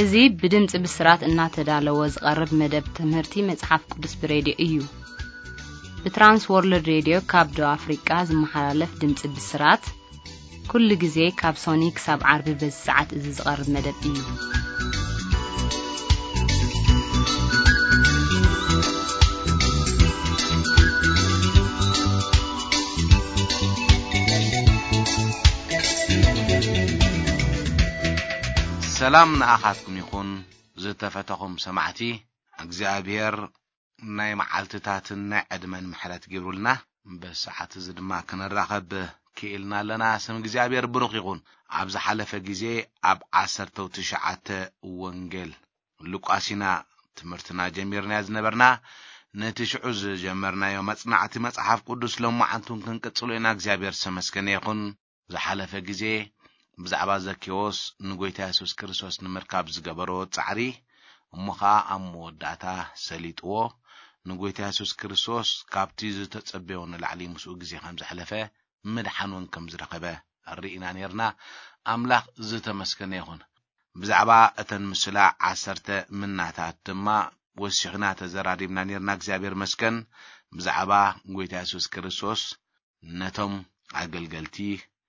እዚ ብድምጺ ብስራት እናተዳለወ ዝቐርብ መደብ ትምህርቲ መጽሓፍ ቅዱስ ብሬድዮ እዩ። ብትራንስ ወርልድ ሬድዮ ካብ ደቡብ ኣፍሪቃ ዝመሓላለፍ ድምጺ ብስራት፣ ኩሉ ግዜ ካብ ሶኒ ክሳብ ዓርቢ በዚ ሰዓት እዚ ዝቐርብ መደብ እዩ። ሰላም ንኣኻትኩም ይኹን፣ ዝተፈተኹም ሰማዕቲ። እግዚኣብሔር ናይ መዓልትታትን ናይ ዕድመን ምሕረት ጌሩልና፣ በዚ ሰዓት እዚ ድማ ክንራኸብ ክኢልና ኣለና። ስም እግዚኣብሔር ብሩኽ ይኹን። ኣብ ዝሓለፈ ግዜ ኣብ ዓሰርተው ትሽዓተ ወንጌል ሉቃስ ኢና ትምህርትና ጀሚርናዮ ዝነበርና። ነቲ ሽዑ ዝጀመርናዮ መጽናዕቲ መጽሓፍ ቅዱስ ሎማዓንቱን ክንቅጽሎ ኢና። እግዚኣብሔር ዝተመስገነ ይኹን። ዝሓለፈ ግዜ ብዛዕባ ዘኬዎስ ንጎይታ የሱስ ክርስቶስ ንምርካብ ዝገበሮ ጻዕሪ፣ እሞ ኸኣ ኣብ መወዳእታ ሰሊጥዎ፣ ንጎይታ የሱስ ክርስቶስ ካብቲ ዝተጸበዮ ንላዕሊ ምስኡ ግዜ ከም ዘሕለፈ፣ ምድሓን እውን ከም ዝረኸበ ርኢና ኔርና። ኣምላኽ ዝተመስገነ ይኹን። ብዛዕባ እተን ምስላ ዓሰርተ ምናታት ድማ ወሲኽና ተዘራሪብና ኔርና። እግዚኣብሔር መስገን። ብዛዕባ ጎይታ የሱስ ክርስቶስ ነቶም ኣገልገልቲ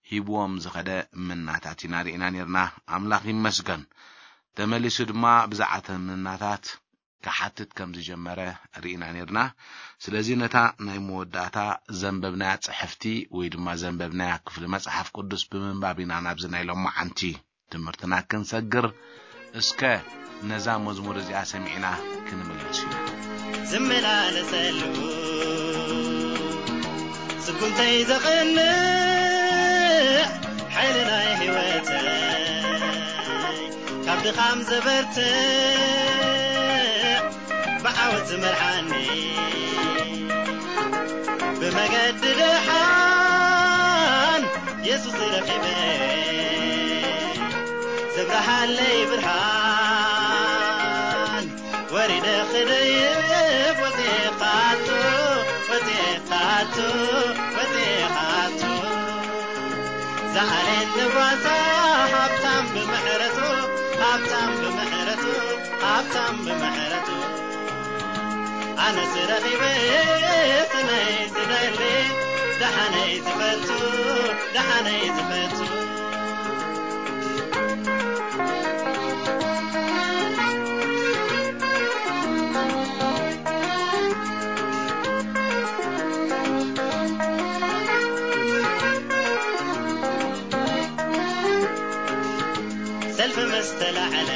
ሂብዎም ዝኸደ ምናታት ኢና ርኢና ኔርና። ኣምላኽ ይመስገን። ተመሊሱ ድማ ብዛዕባ እተን ምናታት ክሓትት ከም ዝጀመረ ርኢና ኔርና። ስለዚ ነታ ናይ መወዳእታ ዘንበብናያ ጽሕፍቲ ወይ ድማ ዘንበብናያ ክፍሊ መጽሓፍ ቅዱስ ብምንባብ ኢና ናብዚ ናይ ሎማዓንቲ ትምህርትና ክንሰግር። እስከ ነዛ መዝሙር እዚኣ ሰሚዕና ክንምለስ ኢና። ዝመላለሰሉ ስጉምተይ ዘቕንዕ ሓይሊ ናይ ህይወተይ፣ ካብ ድኻም ዘበርትዕ ብዓወት ዝመርሓኒ፣ ብመገዲ ደሓን የሱስ ረኺበ፣ ዘብርሃለይ ብርሃን ወሪደ ክደይብ ወፂኤ ካቱ፣ ወፂኤ ካቱ፣ ወፂኤ ካቱ። ዝዓሌት ንጓሳ ሃብታም ብምሕረቱ፣ ሃብታም ብምሕረቱ፣ ሃብታም ብምሕረቱ። ኣነስ ረኺበ ስነይ ዝደሊ፣ ደሓነይ ዝፈቱ፣ ደሓነይ ዝፈቱ። ሰልፊ ምስ ተላዕለ፣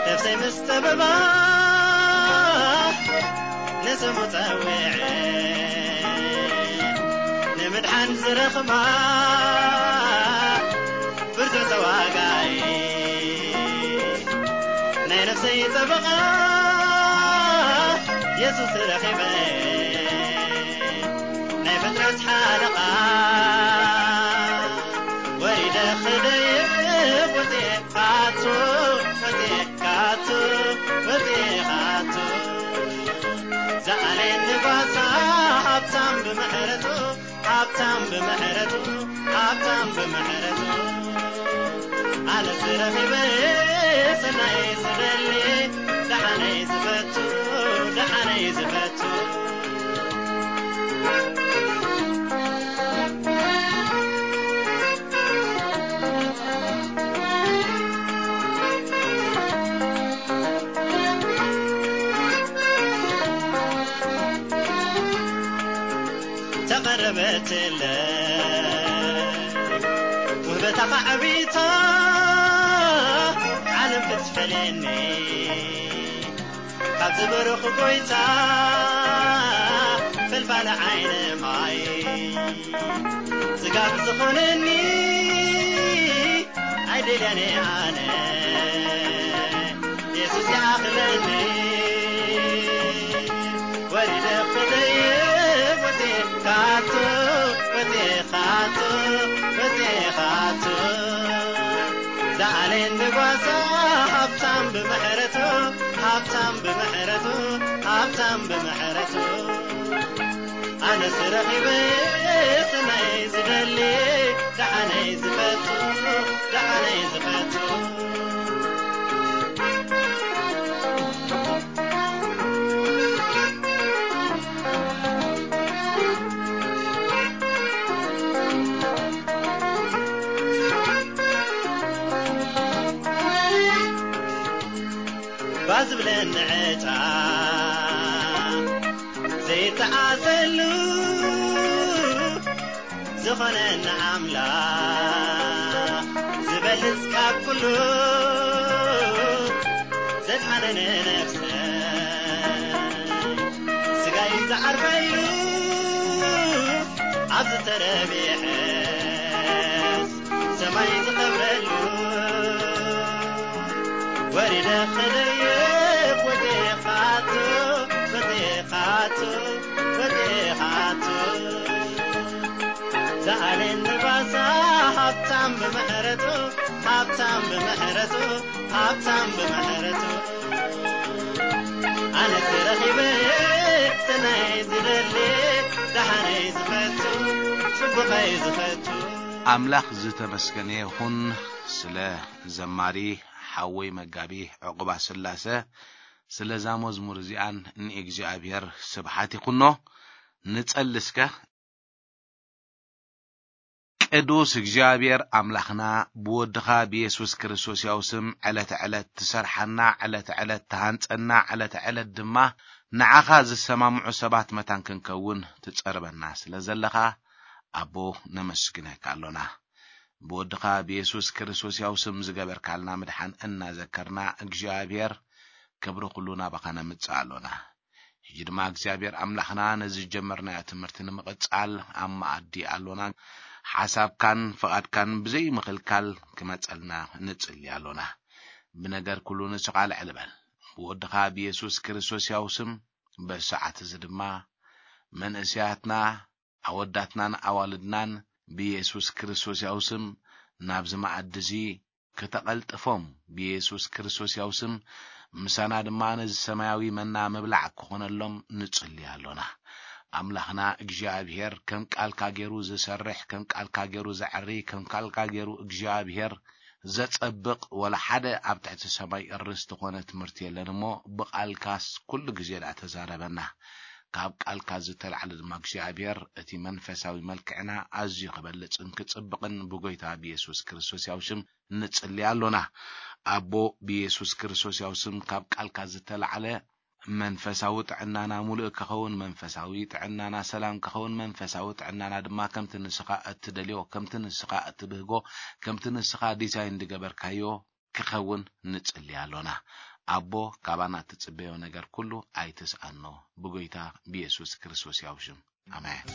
ነፍሰይ ምስ ጠበባ፣ ንስሙ ጸዊዐ፣ ንምድሓን ዝረኽባ ብርቱዕ ተዋጋኢ፣ ናይ ነፍሰይ ጠበቓ የሱስ ረኺበ፣ ናይ ፍጥረት ሓለቓ ወሪደ ክደይብ ወፂኤ ካቱ፣ ወፂኤ ካቱ፣ ወፂኤ ካቱ። ዝዓሌት ንጓሳ ሃብታም ብምሕረቱ፣ ሃብታም ብምሕረቱ፣ ሃብታም ብምሕረቱ። ኣነስ ረኺበ ሰናይ ዝደሊ፣ ደሓነይ ዝፈቱ፣ ደሓነይ ዝፈቱ። ተቐረበትለ ውህበታኻ ዓቢታ፣ ዓለም ክትፈልየኒ ካብ ዝበረኹ ጎይታ፣ ፈልፋለ ዓይነ ማይ ጽጋብ ዝኾነኒ ኣይደልያን እየ ኣነ፣ የሱስ ይኣኽለኒ። ወሪደ ክደይብ ወፂኤ ካቱ፣ ወፂኤ ካቱ፣ ወፂኤ ካቱ። ዝዓሌት ንጓሳ ሃብታም ብምሕረቱ፣ ሃብታም ብምሕረቱ፣ ሃብታም ብምሕረቱ። ኣነስ ረኺበ ሰናይ ዝደሊ፣ ደሓነይ ዝፈቱ፣ ደሓነይ ዝፈቱ። ዝብለኒ ዕጫ ዘይተዓዘሉ ዝኾነኒ ኣምላኽ ዝበልጽ ካብ ኩሉ ዘድሓነኒ ነፍሰይ ስጋይ ዝዓርፈሉ ኣብ ዝተረብሐስ ሰማይ ዝኸብረሉ ወሪደ ክደይብ ወዲኻቱ ወዲኻቱ ወዲኻቱ ዝኣልን ንባሳ ሃብታም ብምሕረቱ ሃብታም ብምሕረቱ ሃብታም ብምሕረቱ ኣነ ተረኺበ ሰናይ ዝደሊ ደሓነይ ዝፈቱ ጽቡቐይ ዝፈቱ ኣምላኽ ዝተመስገነ ይኹን። ስለ ዘማሪ ሓወይ መጋቢ ዕቑባ ስላሰ ስለዛ መዝሙር እዚኣን ንእግዚኣብሔር ስብሓት ይኹኖ። ንጸሊ እስከ። ቅዱስ እግዚኣብሔር ኣምላኽና ብወድኻ ብየሱስ ክርስቶስ ያው ስም ዕለት ዕለት ትሰርሓና፣ ዕለት ዕለት ትሃንጸና፣ ዕለት ዕለት ድማ ንዓኻ ዝሰማምዑ ሰባት መታን ክንከውን ትጸርበና ስለ ዘለኻ ኣቦ ነመስግነካ ኣሎና። ብወድኻ ብየሱስ ክርስቶስ ያው ስም ዝገበርካልና ምድሓን እናዘከርና እግዚኣብሔር ክብሪ ኩሉ ናባኻ ነምጽእ ኣሎና። ሕጂ ድማ እግዚኣብሔር ኣምላኽና ነዚ ዝጀመርናዮ ትምህርቲ ንምቕጻል ኣብ መኣዲ ኣሎና። ሓሳብካን ፍቓድካን ብዘይ ምኽልካል ክመጸልና ንጽሊ ኣሎና። ብነገር ኩሉ ንስኻ ልዕል በል። ብወድኻ ብየሱስ ክርስቶስ ያው ስም በዚ ሰዓት እዚ ድማ መንእሰያትና ኣወዳትናን ኣዋልድናን ብየሱስ ክርስቶስ ያው ስም ናብዚ መኣዲ እዚ ከተቐልጥፎም ብየሱስ ክርስቶስ ያው ስም ምሳና ድማ ነዚ ሰማያዊ መና ምብላዕ ክኾነሎም ንጽሊ ኣሎና። ኣምላኽና እግዚኣብሔር ከም ቃልካ ገይሩ ዝሰርሕ፣ ከም ቃልካ ገይሩ ዘዕሪ፣ ከም ቃልካ ገይሩ እግዚኣብሔር ዘጸብቕ ወላ ሓደ ኣብ ትሕቲ ሰማይ እርስ ዝኾነ ትምህርቲ የለን እሞ ብቓልካስ ኩሉ ግዜ ደኣ ተዛረበና። ካብ ቃልካ ዝተላዕለ ድማ እግዚኣብሔር እቲ መንፈሳዊ መልክዕና ኣዝዩ ክበልጽን ክጽብቕን ብጎይታ ብየሱስ ክርስቶስ ያው ሽም ንጽሊ ኣሎና። ኣቦ ብየሱስ ክርስቶስ ያው ስም ካብ ቃልካ ዝተላዕለ መንፈሳዊ ጥዕናና ሙሉእ ክኸውን፣ መንፈሳዊ ጥዕናና ሰላም ክኸውን፣ መንፈሳዊ ጥዕናና ድማ ከምቲ ንስኻ እትደልዮ፣ ከምቲ ንስኻ እትብህጎ፣ ከምቲ ንስኻ ዲዛይን ዝገበርካዮ ክኸውን ንጽሊ ኣሎና። ኣቦ ካባና እትጽበዮ ነገር ኩሉ ኣይትስኣኖ። ብጎይታ ብየሱስ ክርስቶስ ያው ሽም ኣሜን።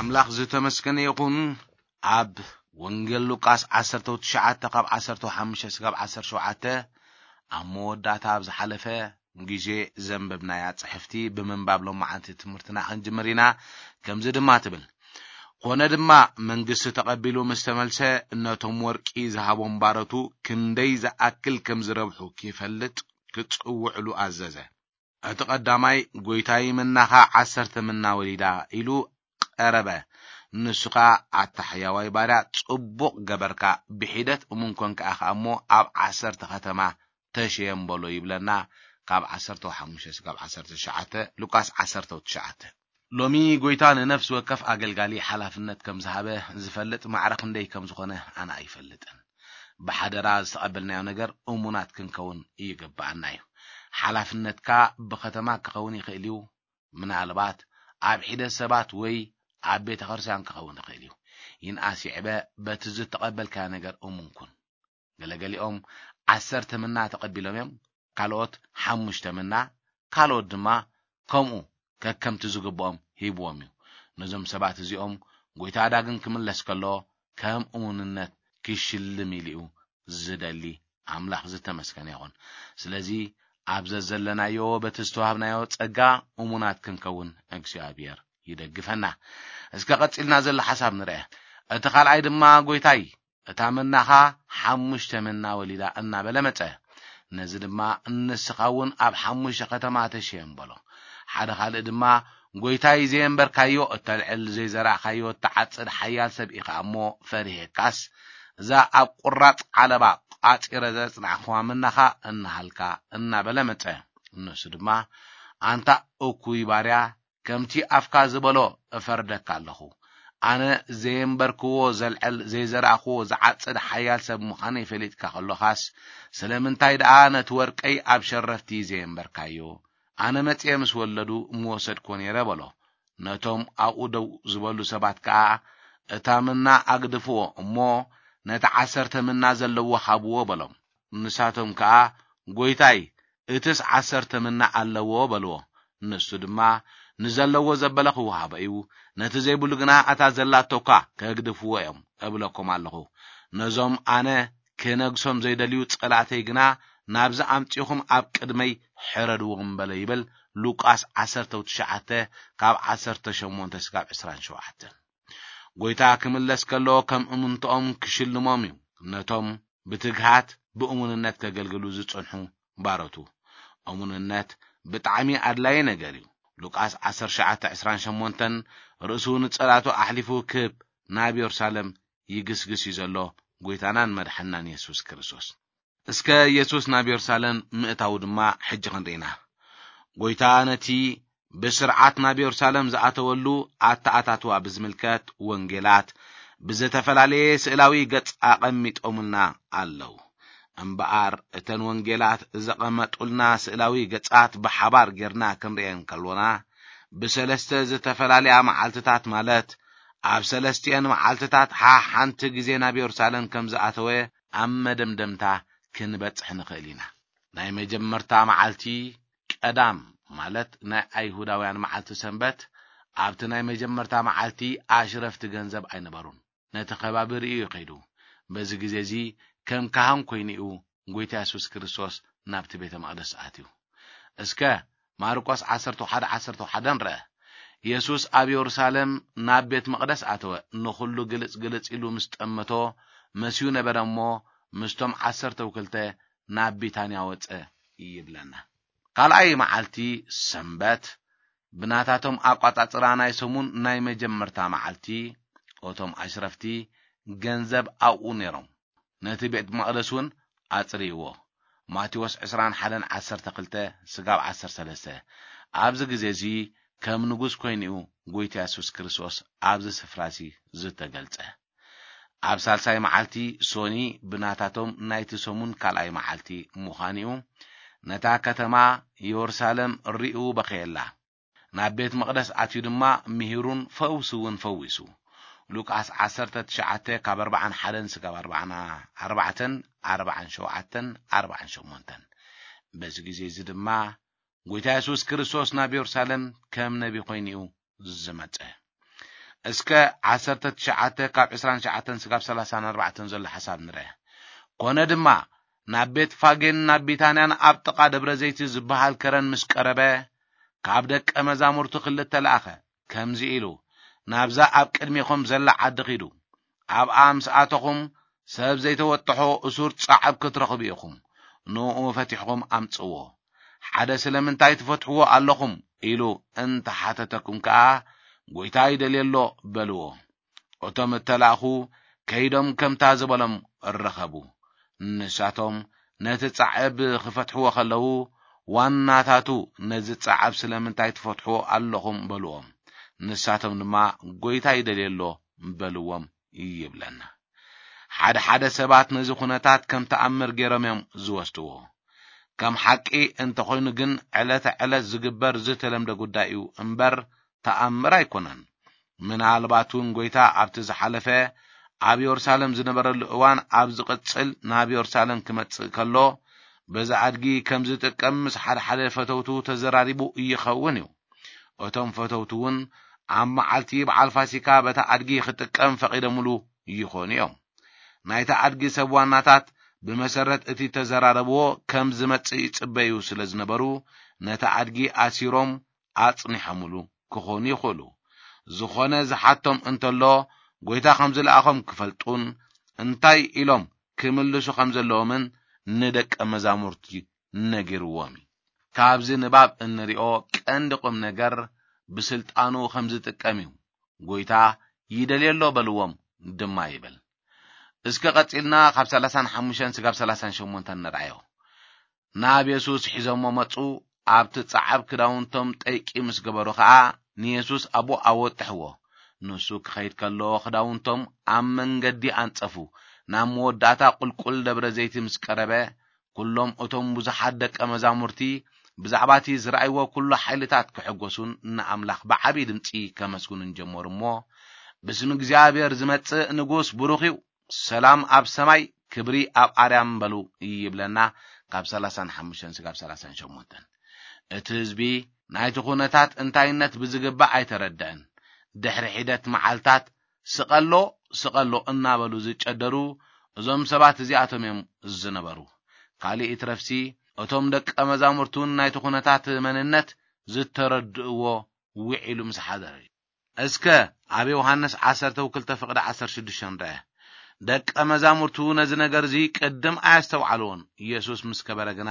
ኣምላኽ ዝተመስገነ ይኹን። ኣብ ወንጌል ሉቃስ ዓሰርተ ትሽዓተ ካብ ዓሰርተ ሓሙሽተ ስጋብ ዓሰርተ ሸውዓተ ኣብ መወዳእታ ኣብ ዝሓለፈ ግዜ ዘንበብናያ ጽሕፍቲ ብምንባብ ሎማዓንቲ ትምህርትና ክንጅምር ኢና። ከምዚ ድማ ትብል፣ ኮነ ድማ መንግስቲ ተቐቢሉ ምስ ተመልሰ ነቶም ወርቂ ዝሃቦም ባረቱ ክንደይ ዝኣክል ከም ዝረብሑ ክፈልጥ ክጽውዕሉ ኣዘዘ። እቲ ቀዳማይ፣ "ጎይታይ፣ ምናኻ ዓሰርተ ምና ወሊዳ" ኢሉ ቀረበ። ንሱ ኸኣ፣ "ኣታ ሕያዋይ ባርያ፣ ጽቡቕ ገበርካ፣ ብሒደት እሙን ኮንካ ኢኻ እሞ፣ ኣብ ዓሰርተ ኸተማ ተሸየም በሎ" ይብለና፣ ካብ ዓሰርተ ሓሙሽተ ስጋብ ዓሰርተ ትሽዓተ፣ ሉቃስ ዓሰርተ ትሽዓተ። ሎሚ ጎይታ ንነፍሲ ወከፍ ኣገልጋሊ ሓላፍነት ከም ዝሃበ ዝፈልጥ ማዕረ ክንደይ ከም ዝኾነ ኣነ ኣይፈልጥን። ብሓደራ ዝተቐበልናዮ ነገር እሙናት ክንከውን ይግብኣና እዩ። ሓላፍነትካ ብኸተማ ክኸውን ይኽእል እዩ፣ ምናልባት ኣብ ሒደት ሰባት ወይ ኣብ ቤተ ክርስቲያን ክኸውን ይኽእል እዩ። ይንኣስ ይዕበ በቲ ዝተቐበልካዮ ነገር እሙን ኩን። ገለገሊኦም ዓሰርተ ምና ተቐቢሎም እዮም፣ ካልኦት ሓሙሽተ ምና፣ ካልኦት ድማ ከምኡ ከከምቲ ዝግብኦም ሂብዎም እዩ። ነዞም ሰባት እዚኦም ጎይታ ዳግም ክምለስ ከሎ ከም እሙንነት ክሽልም ኢሉ እዩ ዝደሊ። ኣምላኽ ዝተመስገነ ይኹን። ስለዚ ኣብ ዘዘለናዮ በቲ ዝተዋህብናዮ ጸጋ እሙናት ክንከውን እግዚኣብሔር ይደግፈና። እስከ ቀጺልና ዘሎ ሓሳብ ንርአ። እቲ ካልኣይ ድማ፣ "ጎይታይ፣ እታ መናኻ ሓሙሽተ መና ወሊዳ" እናበለ መጸ። ነዚ ድማ፣ "ንስኻ እውን ኣብ ሓሙሽተ ከተማ ተሸየም" በሎ። ሓደ ካልእ ድማ፣ ጎይታይ ዘየንበርካዮ እተልዕል፣ ዘይዘራእካዮ እትዓጽድ ሓያል ሰብ ኢኻ እሞ ፈሪሄካስ፣ እዛ ኣብ ቁራጽ ዓለባ ቋጺረ ዘጽናዕኽዋ ምናኻ እናሃልካ እናበለ መጸ። ንሱ ድማ፣ ኣንታ እኩይ ባርያ፣ ከምቲ ኣፍካ ዝበሎ እፈርደካ ኣለኹ። ኣነ ዘየንበርክዎ ዘልዕል፣ ዘይዘራእክዎ ዝዓጽድ ሓያል ሰብ ምዃነይ ፈሊጥካ ከሎኻስ፣ ስለምንታይ ደኣ ነቲ ወርቀይ ኣብ ሸረፍቲ ዘየንበርካዮ? ኣነ መጺኤ ምስ ወለዱ ምወሰድኮ ነይረ በሎ። ነቶም ኣብኡ ደው ዝበሉ ሰባት ከኣ፣ እታ ምና ኣግድፍዎ እሞ ነቲ ዓሰርተ ምና ዘለዎ ሃብዎ በሎም። ንሳቶም ከኣ፣ ጎይታይ፣ እትስ ዓሰርተ ምና ኣለዎ በልዎ። ንሱ ድማ፣ ንዘለዎ ዘበለ ክወሃቦ እዩ፣ ነቲ ዘይብሉ ግና እታ ዘላቶ እኳ ከግድፍዎ እዮም እብለኩም ኣለኹ። ነዞም ኣነ ክነግሶም ዘይደልዩ ጸላእተይ ግና ናብዚ ኣምጺኹም ኣብ ቅድመይ ሕረድዎም በለ ይብል። ሉቃስ ዓሰርተ ትሽዓተ ካብ ዓሰርተ ሸሞንተ ስጋብ ዕስራን ሸውዓተን። ጎይታ ክምለስ ከሎ ከም እምንትኦም ክሽልሞም እዩ፣ ነቶም ብትግሃት ብእሙንነት ከገልግሉ ዝጸንሑ ባሮቱ። እሙንነት ብጣዕሚ ኣድላዪ ነገር እዩ። ሉቃስ ዓሰርተ ትሽዓተ ዕስራን ሸሞንተን፣ ርእሱ ንጸላቱ ኣሕሊፉ ክህብ ናብ የሩሳሌም ይግስግስ እዩ ዘሎ፣ ጎይታናን መድሓናን የሱስ ክርስቶስ። እስከ የሱስ ናብ የሩሳሌም ምእታዉ ድማ ሕጂ ክንርኢ ኢና። ጎይታ ነቲ ብስርዓት ናብ የሩሳሌም ዝኣተወሉ ኣተኣታትዋ ብዝምልከት ወንጌላት ብዝተፈላለየ ስእላዊ ገጽ ኣቐሚጦምልና ኣለዉ። እምበኣር እተን ወንጌላት ዘቐመጡልና ስእላዊ ገጻት ብሓባር ጌርና ክንርእየን ከሎና፣ ብሰለስተ ዝተፈላለያ መዓልትታት፣ ማለት ኣብ ሰለስቲኤን መዓልትታት ሓሓንቲ ግዜ ናብ የሩሳሌም ከም ዝኣተወ ኣብ መደምደምታ ክንበጽሕ ንኽእል ኢና። ናይ መጀመርታ መዓልቲ ቀዳም፣ ማለት ናይ ኣይሁዳውያን መዓልቲ ሰንበት፣ ኣብቲ ናይ መጀመርታ መዓልቲ ኣሽረፍቲ ገንዘብ ኣይነበሩን። ነቲ ከባቢ ርእዩ እዩ ከይዱ። በዚ ግዜ እዚ ከም ካህን ኮይኑ እዩ ጎይታ የሱስ ክርስቶስ ናብቲ ቤተ መቕደስ ኣትዩ። እስከ ማርቆስ ዓሰርተ ሓደ ዓሰርተ ሓደ ንርአ። የሱስ ኣብ የሩሳሌም ናብ ቤት መቕደስ ኣተወ። ንኹሉ ግልጽ ግልጽ ኢሉ ምስ ጠመቶ መስዩ ነበረ እሞ፣ ምስቶም ዓሰርተው ክልተ ናብ ቢታንያ ወጸ ይብለና። ካልኣይ መዓልቲ ሰንበት፣ ብናታቶም ኣቋጻጽራ ናይ ሰሙን ናይ መጀመርታ መዓልቲ፣ እቶም ኣሽረፍቲ ገንዘብ ኣብኡ ነይሮም። ነቲ ቤት መቕደስ እውን ኣጽርይዎ። ማቴዎስ ዕስራን ሓደን ዓሰርተ ክልተ ስጋብ ዓሰርተ ሰለስተ። ኣብዚ ግዜ እዚ ከም ንጉስ ኮይኑ እዩ ጎይታ የሱስ ክርስቶስ ኣብዚ ስፍራ እዚ ዝተገልጸ። ኣብ ሳልሳይ መዓልቲ ሶኒ ብናታቶም ናይቲ ሰሙን ካልኣይ መዓልቲ ምዃኑ እዩ። ነታ ከተማ የሩሳሌም ርእዩ በኸየላ። ናብ ቤት መቕደስ ኣትዩ ድማ ምሂሩን ፈውሱ እውን ፈዊሱ። ሉቃስ ዓሰርተ ትሽዓተ ካብ ኣርባዓን ሓደን ስጋብ ኣርባዓን ኣርባዕተን፣ ኣርባዓን ሸውዓተን፣ ኣርባዓን ሸሞንተን። በዚ ግዜ እዚ ድማ ጎይታ የሱስ ክርስቶስ ናብ የሩሳሌም ከም ነቢ ኮይኑ እዩ ዝመጸ። እስከ ዓሰርተ ትሽዓተ ካብ ዕስራን ትሽዓተን ስጋብ ሰላሳን ኣርባዕተን ዘሎ ሓሳብ ንርአ። ኮነ ድማ ናብ ቤት ፋጌን ናብ ቢታንያን ኣብ ጥቓ ደብረ ዘይቲ ዝበሃል ከረን ምስ ቀረበ፣ ካብ ደቀ መዛሙርቱ ክልተ ለኣኸ፣ ከምዚ ኢሉ፣ ናብዛ ኣብ ቅድሜኹም ዘላ ዓዲ ኺዱ። ኣብኣ ምስ ኣተኹም፣ ሰብ ዘይተወጥሖ እሱር ጻዕብ ክትረኽቡ ኢኹም። ንእኡ ፈቲሕኹም ኣምጽዎ። ሓደ ስለምንታይ ትፈትሕዎ ኣለኹም ኢሉ እንተ ሓተተኩም ከኣ፣ ጎይታ ይደልየሎ በልዎ። እቶም እተላእኹ ከይዶም ከምታ ዝበሎም ረኸቡ። ንሳቶም ነቲ ጻዕብ ክፈትሕዎ ከለዉ፣ ዋናታቱ ነዚ ጻዕብ ስለምንታይ ትፈትሕዎ ኣለኹም በልዎም። ንሳቶም ድማ ጎይታ ይደልየሎ በልዎም ይብለና። ሓደ ሓደ ሰባት ነዚ ኩነታት ከም ተኣምር ገይሮም እዮም ዝወስድዎ። ከም ሓቂ እንተኾይኑ ግን ዕለተ ዕለት ዝግበር ዝተለምደ ጉዳይ እዩ እምበር ተኣምር ኣይኮነን። ምናልባት እውን ጎይታ ኣብቲ ዝሓለፈ ኣብ የሩሳሌም ዝነበረሉ እዋን ኣብ ዝቕጽል ናብ የሩሳሌም ክመጽእ ከሎ በዚ ኣድጊ ከም ዝጥቀም ምስ ሓደ ሓደ ፈተውቱ ተዘራሪቡ ይኸውን እዩ። እቶም ፈተውቱ እውን ኣብ መዓልቲ በዓል ፋሲካ በታ ኣድጊ ክጥቀም ፈቒዶምሉ ይኾኑ እዮም። ናይታ ኣድጊ ሰብ ዋናታት ብመሰረት እቲ ተዘራረብዎ ከም ዝመጽእ ይጽበዩ ስለ ዝነበሩ ነታ ኣድጊ ኣሲሮም ኣጽኒሖምሉ ክኾኑ ይኽእሉ። ዝኾነ ዝሓቶም እንተሎ፣ ጎይታ ከም ዝለኣኾም ክፈልጡን እንታይ ኢሎም ክምልሱ ከም ዘለዎምን ንደቀ መዛሙርቲ ነጊርዎም እዩ። ካብዚ ንባብ እንሪኦ ቀንዲ ቁም ነገር፣ ብስልጣኑ ከም ዝጥቀም እዩ። ጎይታ ይደልዮ ኣሎ በልዎም ድማ ይብል። እስከ ቀጺልና ካብ ሰላሳን ሓሙሽተን ስጋብ ሰላሳን ሸሞንተን ንርኣዮ። ናብ የሱስ ሒዞሞ መጹ። ኣብቲ ጸዓብ ክዳውንቶም ጠይቂ ምስ ገበሩ ኸኣ ንየሱስ ኣብኡ ኣወጥሕዎ። ንሱ ክኸይድ ከሎ ክዳውንቶም ኣብ መንገዲ ኣንጸፉ። ናብ መወዳእታ ቁልቁል ደብረ ዘይቲ ምስ ቀረበ፣ ኩሎም እቶም ብዙሓት ደቀ መዛሙርቲ ብዛዕባ እቲ ዝረኣይዎ ኩሉ ሓይልታት ክሕጎሱን ንኣምላኽ ብዓቢ ድምጺ ከመስግኑን ጀመሩ እሞ፣ ብስም እግዚኣብሔር ዝመጽእ ንጉስ ብሩኽ እዩ፣ ሰላም ኣብ ሰማይ ክብሪ ኣብ ኣርያም በሉ ይብለና። ካብ ሰላሳን ሓሙሽተን ስጋብ ሰላሳን ሸሞንተን እቲ ህዝቢ ናይቲ ኩነታት እንታይነት ብዝግባእ ኣይተረድአን። ድሕሪ ሒደት መዓልታት ስቐሎ ስቐሎ እናበሉ ዝጨደሩ እዞም ሰባት እዚኣቶም እዮም ዝነበሩ። ካልእ ይትረፍሲ እቶም ደቀ መዛሙርቱን ናይቲ ኩነታት መንነት ዝተረድእዎ ውዒሉ ምስ ሓደረ እዩ። እስከ ኣብ ዮሃንስ ዓሰርተ ክልተ ፍቕዲ ዓሰርተ ሽዱሽተ ንርአ። ደቀ መዛሙርቱ ነዚ ነገር እዚ ቅድም ኣያስተውዓልዎን። ኢየሱስ ምስ ከበረ ግና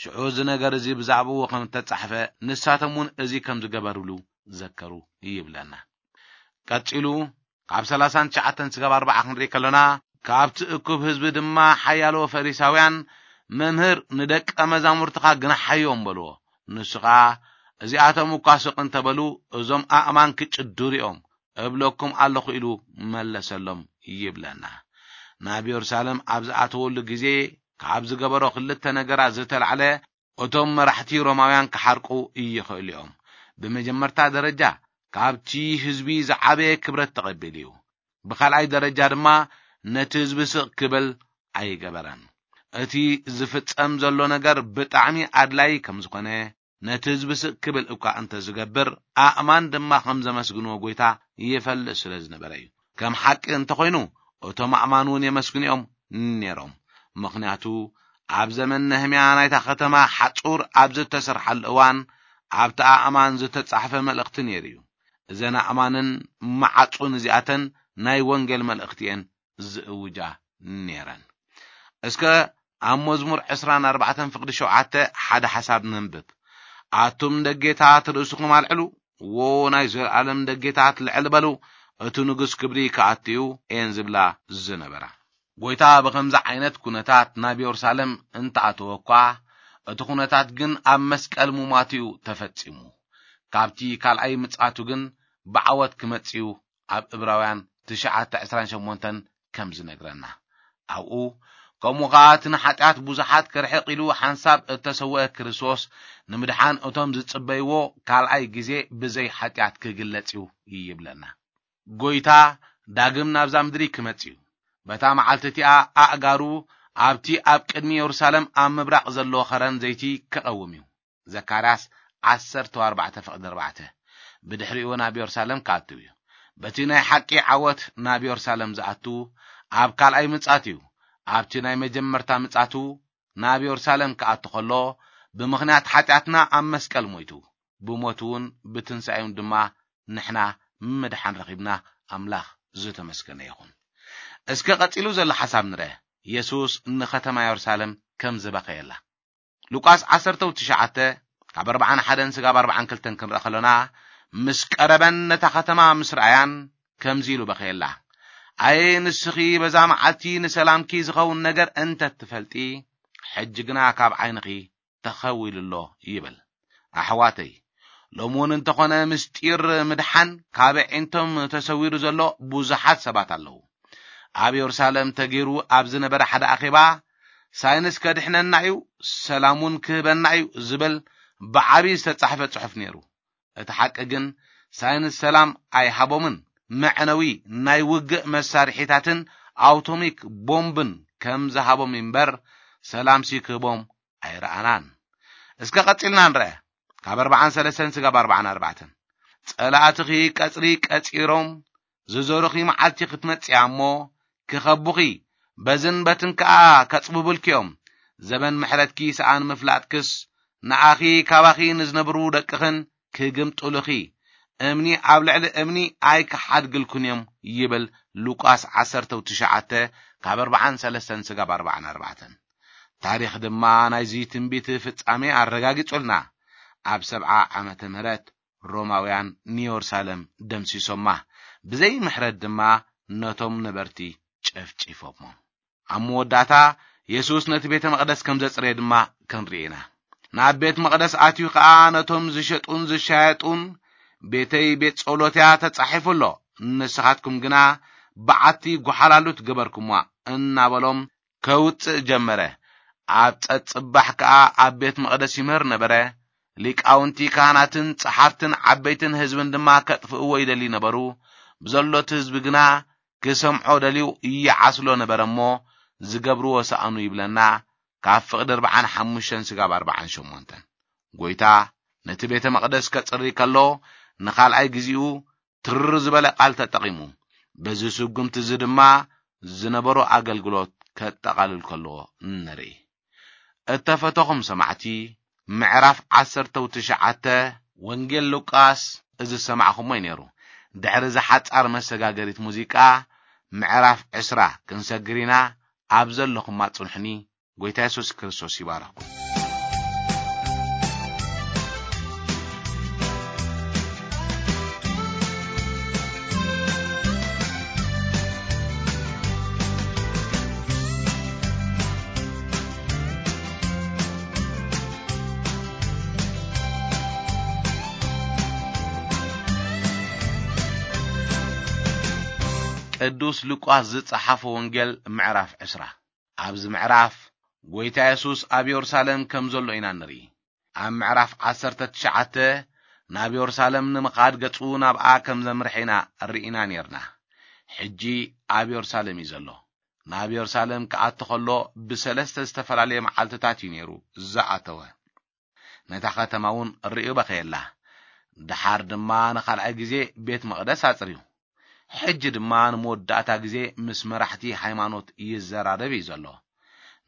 ሽዑ እዚ ነገር እዚ ብዛዕባኡ ከም እተጻሕፈ ንሳቶም እውን እዚ ከም ዝገበርሉ ዘከሩ ይብለና። ቀጺሉ ካብ ሰላሳን ትሽዓተን ስጋብ ኣርባዓ ክንርኢ ከለና፣ ካብቲ እኩብ ህዝቢ ድማ ሓያሎ ፈሪሳውያን፣ "መምህር፣ ንደቀ መዛሙርትኻ ግናሓዮም" በልዎ። ንሱ ኸኣ፣ "እዚኣቶም እኳ ስቕ እንተበሉ፣ እዞም ኣእማን ክጭድሩ እዮም፣ እብለኩም ኣለኹ" ኢሉ መለሰሎም ይብለና። ናብ የሩሳሌም ኣብ ዝኣተወሉ ግዜ ካብ ዝገበሮ ክልተ ነገራት ዝተላዕለ፣ እቶም መራሕቲ ሮማውያን ክሓርቁ ይኽእሉ እዮም። ብመጀመርታ ደረጃ፣ ካብቲ ህዝቢ ዝዓበየ ክብረት ተቐቢሉ እዩ። ብኻልኣይ ደረጃ ድማ፣ ነቲ ህዝቢ ስቕ ክብል ኣይገበረን። እቲ ዝፍጸም ዘሎ ነገር ብጣዕሚ ኣድላዪ ከም ዝኾነ፣ ነቲ ህዝቢ ስቕ ክብል እኳ እንተ ዝገብር፣ ኣእማን ድማ ከም ዘመስግንዎ ጎይታ ይፈልጥ ስለ ዝነበረ እዩ። ከም ሓቂ እንተኾይኑ፣ እቶም ኣእማን እውን የመስግንኦም ነይሮም። ምኽንያቱ፣ ኣብ ዘመን ነህምያ ናይታ ከተማ ሓጹር ኣብ ዝተሰርሓሉ እዋን፣ ኣብቲ ኣእማን ዝተጻሕፈ መልእኽቲ ነይሩ እዩ። እዘን ኣእማንን መዓጹን እዚኣተን ናይ ወንጌል መልእኽቲ እየን ዝእውጃ ነይረን። እስከ ኣብ መዝሙር ዕስራን ኣርባዕተን ፍቕዲ ሸውዓተ ሓደ ሓሳብ ነንብብ። "ኣቱም ደጌታት ርእስኹም ኣልዕሉ፣ ዎ ናይ ዘለኣለም ደጌታት ልዕል በሉ፣ እቲ ንጉስ ክብሪ ክኣቱ እዩ" እየን ዝብላ ዝነበራ። ጎይታ ብኸምዚ ዓይነት ኩነታት ናብ የሩሳሌም እንተኣተወ እኳ፣ እቲ ኩነታት ግን ኣብ መስቀል ሙማቱ እዩ ተፈጺሙ። ካብቲ ካልኣይ ምጽኣቱ ግን ብዓወት ክመጽእ እዩ ኣብ እብራውያን ትሽዓተ ዕስራን ሸሞንተን ከም ዝነግረና። ኣብኡ፣ "ከምኡ ኸኣ እቲ ንሓጢኣት ብዙሓት ክርሕቕ ኢሉ ሓንሳብ እተሰውአ ክርስቶስ ንምድሓን እቶም ዝጽበይዎ ካልኣይ ግዜ ብዘይ ሓጢኣት ክግለጽ እዩ" ይብለና። ጎይታ ዳግም ናብዛ ምድሪ ክመጽእ እዩ። በታ መዓልቲ እቲኣ ኣእጋሩ ኣብቲ ኣብ ቅድሚ የሩሳሌም ኣብ ምብራቕ ዘሎ ኸረን ዘይቲ ክቐውም እዩ። ዘካርያስ ዓሰርተ ኣርባዕተ ፍቕዲ ኣርባዕተ። ብድሕሪኡ ናብ የሩሳሌም ክኣትው እዩ። በቲ ናይ ሓቂ ዓወት ናብ የሩሳሌም ዝኣቱ ኣብ ካልኣይ ምጻት እዩ። ኣብቲ ናይ መጀመርታ ምጻቱ ናብ የሩሳሌም ክኣቱ ከሎ፣ ብምኽንያት ሓጢኣትና ኣብ መስቀል ሞይቱ፣ ብሞቱ እውን ብትንሳኤውን ድማ ንሕና ምድሓን ረኺብና። ኣምላኽ ዝተመስገነ ይኹን። እስከ ቀጺሉ ዘሎ ሓሳብ ንርአ። የሱስ ንኸተማ የሩሳሌም ከም ዝበኸየላ። ሉቃስ ዓሰርተ ትሽዓተ ካብ ኣርባዓን ሓደን ስጋብ ኣርባዓን ክልተን ክንርኢ ከሎና፣ ምስ ቀረበን ነታ ከተማ ምስ ረኣያን ከምዚ ኢሉ በኸየላ፣ "ኣየ ንስኺ በዛ መዓልቲ ንሰላምኪ ዝኸውን ነገር እንተ ትፈልጢ፣ ሕጂ ግና ካብ ዓይንኺ ተኸዊሉ ኣሎ" ይብል። ኣሕዋተይ፣ ሎሚ እውን እንተኾነ ምስጢር ምድሓን ካብ ኣዒንቶም ተሰዊሩ ዘሎ ብዙሓት ሰባት ኣለዉ። ኣብ የሩሳሌም ተገይሩ ኣብ ዝነበረ ሓደ ኣኼባ፣ "ሳይንስ ከድሕነና እዩ፣ ሰላም እውን ክህበና እዩ" ዝብል ብዓቢ ዝተጻሕፈ ጽሑፍ ነይሩ። እቲ ሓቂ ግን፣ ሳይንስ ሰላም ኣይሃቦምን። መዕነዊ ናይ ውግእ መሳርሒታትን ኣውቶሚክ ቦምብን ከም ዝሃቦም እምበር፣ ሰላምሲ ክህቦም ኣይረኣናን። እስከ ቀጺልና ንርአ። ካብ ኣርባዓን ሰለስተን ስጋብ ኣርባዓን ኣርባዕተን። "ጸላእትኺ ቀጽሪ ቀጺሮም፣ ዝዞሩኺ መዓልቲ ክትመጽእ እያ እሞ፣ ክኸቡኺ፣ በዝን በትን ከኣ ከጽብቡልኪ እዮም። ዘበን ምሕረትኪ ሰኣን ምፍላጥክስ፣ ንኣኺ፣ ካባኺ ንዝነብሩ ደቅኽን ክግምጥሉኺ፣ እምኒ ኣብ ልዕሊ እምኒ ኣይክሓድግልኩን እዮም" ይብል ሉቃስ ዓሰርተ ትሽዓተ ካብ ኣርባዓን ሰለስተን ስጋብ ኣርባዓን ኣርባዕተን። ታሪኽ ድማ ናይዚ ትንቢት ፍጻሜ ኣረጋጊጹልና። ኣብ ሰብዓ ዓመተ ምህረት ሮማውያን ንየሩሳሌም ደምሲሶማ፣ ብዘይ ምሕረት ድማ ነቶም ነበርቲ ጨፍጪፎሞም። ኣብ መወዳእታ የሱስ ነቲ ቤተ መቕደስ ከም ዘጽረየ ድማ ክንርኢ ኢና። ናብ ቤት መቕደስ ኣትዩ ኸኣ ነቶም ዝሸጡን ዝሻየጡን፣ "ቤተይ ቤት ጸሎት እያ፣ ተጻሒፉ ኣሎ፣ ንስኻትኩም ግና በዓቲ ጓሓላሉት ገበርኩምዋ" እናበሎም ከውጽእ ጀመረ። ኣብ ጸጽባሕ ከኣ ኣብ ቤት መቕደስ ይምህር ነበረ። ሊቃውንቲ ካህናትን ጸሓፍትን ዓበይትን ህዝብን ድማ ከጥፍእዎ ይደልዩ ነበሩ። ብዘሎ እቲ ህዝቢ ግና ክሰምዖ ደልዩ ይዓስሎ ነበረ እሞ፣ ዝገብርዎ ሰኣኑ ይብለና። ካብ ፍቕዲ ኣርብዓን ሓሙሽተን ስጋብ ኣርብዓን ሸሞንተን። ጎይታ ነቲ ቤተ መቕደስ ከጽሪ ከሎ፣ ንኻልኣይ ግዜኡ ትርር ዝበለ ቃል ተጠቒሙ። በዚ ስጉምቲ እዚ ድማ ዝነበሮ ኣገልግሎት ከጠቓልል ከሎ ንርኢ። እተፈተኹም ሰማዕቲ፣ ምዕራፍ ዓሰርተ ትሽዓተ ወንጌል ሉቃስ እዚ ዝሰማዕኹሞ እዩ ነይሩ። ድሕሪ እዚ ሓጻር መሰጋገሪት ሙዚቃ፣ ምዕራፍ ዕስራ ክንሰግር ኢና። ኣብ ዘለኹም ኣጽንሑኒ። ጎይታ የሱስ ክርስቶስ ይባርኽኩም። ቅዱስ ሉቃስ ዝጸሓፎ ወንጌል ምዕራፍ ዕስራ። ኣብዚ ምዕራፍ ጎይታ የሱስ ኣብ የሩሳሌም ከም ዘሎ ኢና ንርኢ። ኣብ ምዕራፍ ዓሰርተ ትሽዓተ ናብ የሩሳሌም ንምኻድ ገጹ ናብኣ ከም ዘምርሐ ኢና ርኢና ኔርና። ሕጂ ኣብ የሩሳሌም እዩ ዘሎ። ናብ የሩሳሌም ክኣቱ ከሎ ብሰለስተ ዝተፈላለየ መዓልትታት እዩ ነይሩ ዝኣተወ። ነታ ከተማ እውን ርእዩ በኸየላ። ደሓር ድማ ንኻልኣይ ግዜ ቤት መቕደስ ኣጽርዩ። ሕጂ ድማ ንመወዳእታ ግዜ ምስ መራሕቲ ሃይማኖት ይዘራረብ እዩ ዘሎ።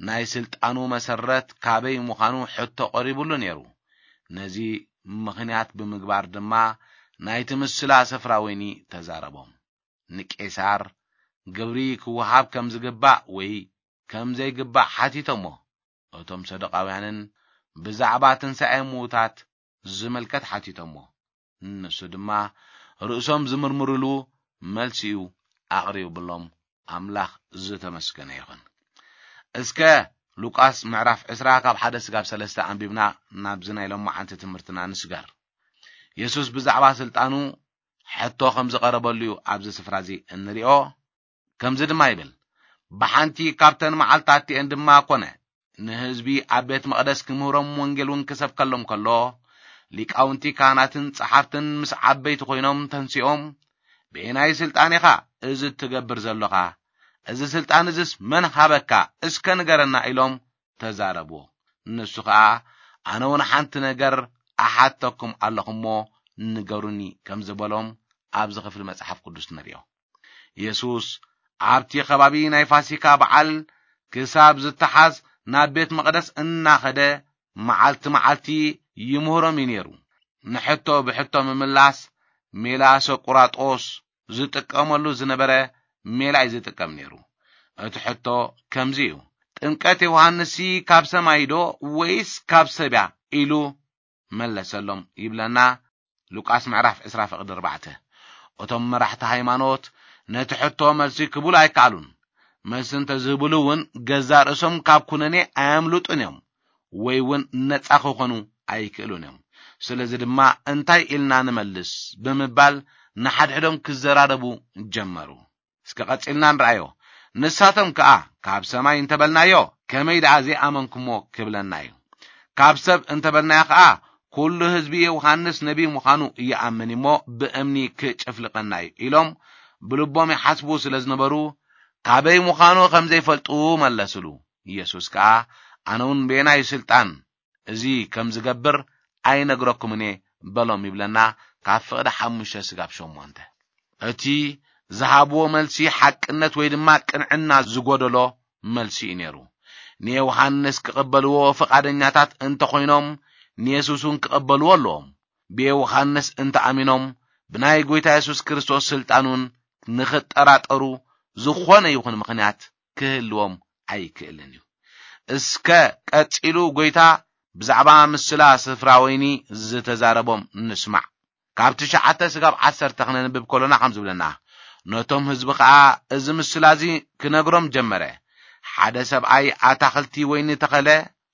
ናይ ስልጣኑ መሰረት ካበይ ምዃኑ ሕቶ ቀሪቡሉ ነይሩ። ነዚ ምኽንያት ብምግባር ድማ ናይቲ ምስላ ስፍራ ወይኒ ተዛረቦም። ንቄሳር ግብሪ ክወሃብ ከም ዝግባእ ወይ ከም ዘይግባእ ሓቲቶሞ። እቶም ሰዱቃውያንን ብዛዕባ ትንሳኤ ምዉታት ዝምልከት ሓቲቶሞ። ንሱ ድማ ርእሶም ዝምርምርሉ መልሲኡ ኣቕሪቡሎም። ኣምላኽ ዝተመስገነ ይኹን። እስከ ሉቃስ ምዕራፍ ዕስራ ካብ ሓደ ስጋብ ሰለስተ ኣንቢብና ናብዚ ናይ ሎማዓንቲ ትምህርትና ንስገር። የሱስ ብዛዕባ ስልጣኑ ሕቶ ከም ዝቐረበሉ እዩ ኣብዚ ስፍራ እዚ እንሪኦ። ከምዚ ድማ ይብል፣ ብሓንቲ ካብተን መዓልታት እቲኤን ድማ ኮነ፣ ንህዝቢ ኣብ ቤት መቕደስ ክምህሮም ወንጌል እውን ክሰብከሎም ከሎ፣ ሊቃውንቲ ካህናትን ጸሓፍትን ምስ ዓበይቲ ኮይኖም ተንሲኦም፣ "ብየናይ ስልጣን ኢኻ እዚ እትገብር ዘሎኻ? እዚ ስልጣን እዝስ መን ሃበካ? እስከ ንገረና" ኢሎም ተዛረብዎ። ንሱ ኸኣ፣ "ኣነ እውን ሓንቲ ነገር ኣሓተኩም ኣለኹ እሞ ንገሩኒ" ከም ዝበሎም ኣብዚ ክፍሊ መጽሓፍ ቅዱስ ንርእዮ። የሱስ ኣብቲ ከባቢ ናይ ፋሲካ በዓል ክሳብ ዝተሓዝ ናብ ቤት መቕደስ እናኸደ መዓልቲ መዓልቲ ይምህሮም እዩ ነይሩ። ንሕቶ ብሕቶ ምምላስ ሜላ ሰቁራጦስ ዝጥቀመሉ ዝነበረ ሜላ እዩ ዝጥቀም ነይሩ። እቲ ሕቶ ከምዚ እዩ፣ "ጥምቀት ዮሃንስሲ ካብ ሰማይ ዶ ወይስ ካብ ሰብ እያ?" ኢሉ መለሰሎም ይብለና ሉቃስ ምዕራፍ ዕስራ ፍቕዲ ኣርባዕተ። እቶም መራሕቲ ሃይማኖት ነቲ ሕቶ መልሲ ክብሉ ኣይከኣሉን። መልሲ እንተዝህብሉ እውን ገዛእ ርእሶም ካብ ኩነኔ ኣየምልጡን እዮም ወይ እውን ነጻ ክኾኑ ኣይክእሉን እዮም። ስለዚ ድማ "እንታይ ኢልና ንመልስ?" ብምባል ንሓድሕዶም ክዘራረቡ ጀመሩ። እስከ ቀጺልና ንርኣዮ። ንሳቶም ከኣ፣ "ካብ ሰማይ እንተበልናዮ፣ ከመይ ደኣ ዘይኣመንኩሞ ክብለና እዩ? ካብ ሰብ እንተበልናዮ ከኣ፣ ኩሉ ህዝቢ ዮሃንስ ነቢ ምዃኑ ይኣምን እሞ ብእምኒ ክጭፍልቐና እዩ" ኢሎም ብልቦም ይሓስቡ ስለ ዝነበሩ፣ ካበይ ምዃኑ ከም ዘይፈልጡ መለስሉ። ኢየሱስ ከኣ፣ "ኣነ እውን በየናይ ስልጣን እዚ ከም ዝገብር ኣይነግረኩምን እየ" በሎም ይብለና፣ ካብ ፍቕዲ ሓሙሽተ ስጋብ ሸሞንተ። እቲ ዝሃብዎ መልሲ ሓቅነት ወይ ድማ ቅንዕና ዝጎደሎ መልሲ እዩ ነይሩ። ንዮሃንስ ክቕበልዎ ፍቓደኛታት እንተኾይኖም፣ ንየሱስ እውን ክቕበልዎ ኣለዎም። ብዮሃንስ እንተኣሚኖም፣ ብናይ ጎይታ የሱስ ክርስቶስ ስልጣን እውን ንኽጠራጠሩ ዝኾነ ይኹን ምኽንያት ክህልዎም ኣይክእልን እዩ። እስከ ቀጺሉ ጎይታ ብዛዕባ ምስላ ስፍራ ወይኒ ዝተዛረቦም ንስማዕ። ካብ ትሽዓተ ስጋብ ዓሰርተ ክነንብብ ከሎና ከም ዝብለና፣ ነቶም ህዝቢ ኸኣ እዚ ምስላ እዚ ክነግሮም ጀመረ። ሓደ ሰብኣይ ኣታኽልቲ ወይኒ ተኸለ፣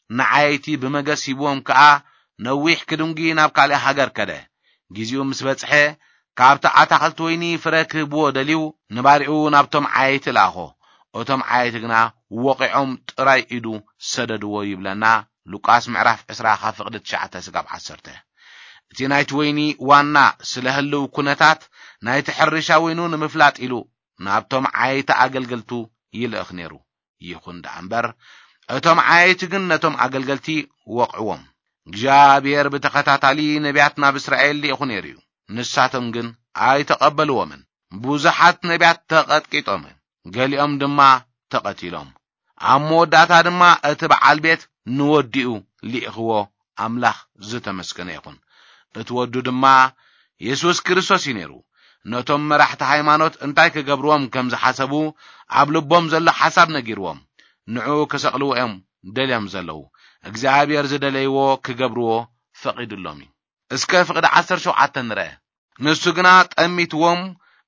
ንዓየይቲ ብመገስ ሂብዎም ከኣ ነዊሕ ክድንጉ ናብ ካልእ ሃገር ከደ። ግዜኡ ምስ በጽሐ፣ ካብቲ ኣታኽልቲ ወይኒ ፍረ ክህብዎ ደልዩ፣ ንባሪኡ ናብቶም ዓየይቲ ለኣኾ። እቶም ዓየይቲ ግና ወቒዖም ጥራይ ኢዱ ሰደድዎ ይብለና ሉቃስ ምዕራፍ ዕስራ ካብ ፍቕዲ ትሽዓተ ስጋብ ዓሰርተ። እቲ ናይቲ ወይኒ ዋና ስለ ህልው ኩነታት ናይቲ ሕርሻ ወይኑ ንምፍላጥ ኢሉ ናብቶም ዓየይቲ ኣገልገልቱ ይልእኽ ነይሩ። ይኹን ደኣ እምበር፣ እቶም ዓየይቲ ግን ነቶም ኣገልገልቲ ወቕዕዎም። እግዚኣብሔር ብተኸታታሊ ነቢያት ናብ እስራኤል ልኢኹ ነይሩ እዩ። ንሳቶም ግን ኣይተቐበልዎምን። ብዙሓት ነቢያት ተቐጥቂጦምን፣ ገሊኦም ድማ ተቐቲሎም። ኣብ መወዳእታ ድማ እቲ በዓል ቤት ንወዲኡ ልኢኽዎ። ኣምላኽ ዝተመስገነ ይኹን። እቲ ወዱ ድማ የሱስ ክርስቶስ እዩ ነይሩ። ነቶም መራሕቲ ሃይማኖት እንታይ ክገብርዎም ከም ዝሓሰቡ ኣብ ልቦም ዘሎ ሓሳብ ነጊርዎም። ንዕኡ ክሰቕልዎ እዮም ደልዮም ዘለዉ። እግዚኣብሔር ዝደለይዎ ክገብርዎ ፈቒዱሎም እዩ። እስከ ፍቕዲ ዓሰርተ ሸውዓተ ንርአ። ንሱ ግና ጠሚትዎም፣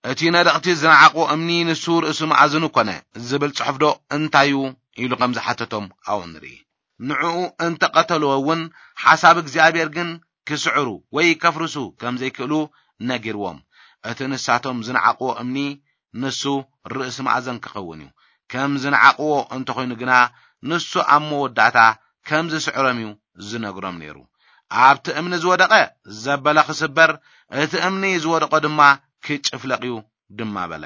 እቲ ነደቕቲ ዝነዓቑ እምኒ ንሱ ርእሲ መኣዝኑ ኮነ ዝብል ጽሑፍዶ እንታዩ? ኢሉ ከም ዝሓተቶም ኣብኡ ንርኢ። ንዕኡ እንተቐተልዎ እውን ሓሳብ እግዚኣብሔር ግን ክስዕሩ ወይ ከፍርሱ ከም ዘይክእሉ ነጊርዎም። እቲ ንሳቶም ዝነዓቕዎ እምኒ ንሱ ርእሲ መኣዘን ክኸውን እዩ። ከም ዝነዓቕዎ እንተኾይኑ ግና ንሱ ኣብ መወዳእታ ከም ዝስዕሮም እዩ ዝነግሮም ነይሩ። ኣብቲ እምኒ ዝወደቐ ዘበለ ክስበር፣ እቲ እምኒ ዝወደቐ ድማ ክጭፍለቕ እዩ ድማ በለ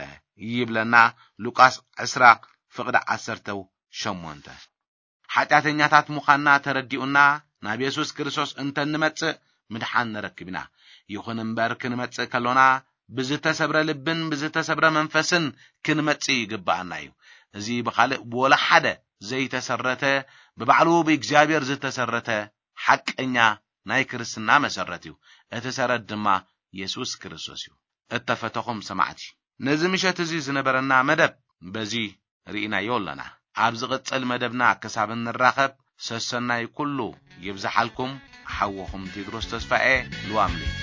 ይብለና ሉቃስ ዕስራ ፍቕዲ ዓሰርተ ሸሞንተ። ሓጢኣተኛታት ምዃንና ተረዲኡና ናብ የሱስ ክርስቶስ እንተንመጽእ ምድሓን ንረክብ ኢና። ይኹን እምበር ክንመጽእ ከሎና ብዝተሰብረ ልብን ብዝተሰብረ መንፈስን ክንመጽእ ይግብኣና እዩ። እዚ ብኻልእ ብወላ ሓደ ዘይተሰረተ፣ ብባዕሉ ብእግዚኣብሔር ዝተሰረተ ሓቀኛ ናይ ክርስትና መሰረት እዩ። እቲ ሰረት ድማ የሱስ ክርስቶስ እዩ። እተፈተኹም ሰማዕቲ፣ ነዚ ምሸት እዚ ዝነበረና መደብ በዚ ርኢናዮ ኣለና። ኣብ ዝቕጽል መደብና ክሳብ እንራኸብ ሰሰናይ ኩሉ ይብዝሓልኩም። ሓወኹም ቴድሮስ ተስፋኤ፣ ልዋም ለይቲ።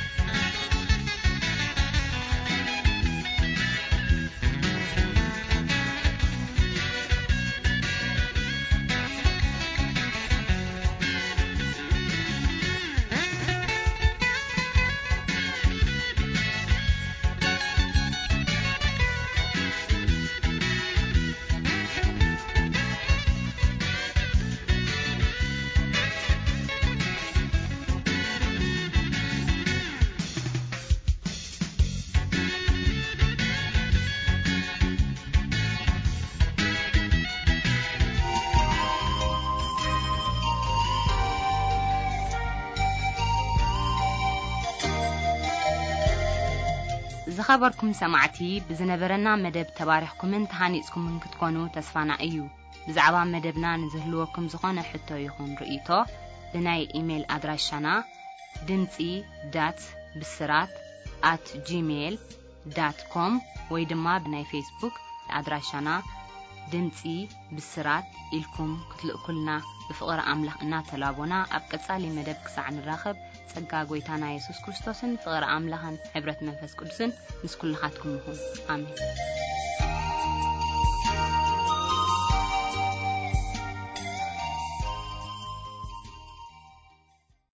ዝኸበርኩም ሰማዕቲ፣ ብዝነበረና መደብ ተባሪኽኩምን ተሃኒጽኩምን ክትኮኑ ተስፋና እዩ። ብዛዕባ መደብና ንዝህልወኩም ዝኾነ ሕቶ ይኹን ርእይቶ፣ ብናይ ኢሜይል ኣድራሻና ድምጺ ዳት ብስራት ኣት ጂሜይል ዳት ኮም ወይ ድማ ብናይ ፌስቡክ ኣድራሻና ድምጺ ብስራት ኢልኩም ክትልእኩልና ብፍቕሪ ኣምላኽ እናተላቦና፣ ኣብ ቀጻሊ መደብ ክሳዕ ንራኸብ፣ ጸጋ ጐይታና የሱስ ክርስቶስን ፍቕሪ ኣምላኽን ሕብረት መንፈስ ቅዱስን ምስ ኩልኻትኩም ይኹን። ኣሜን።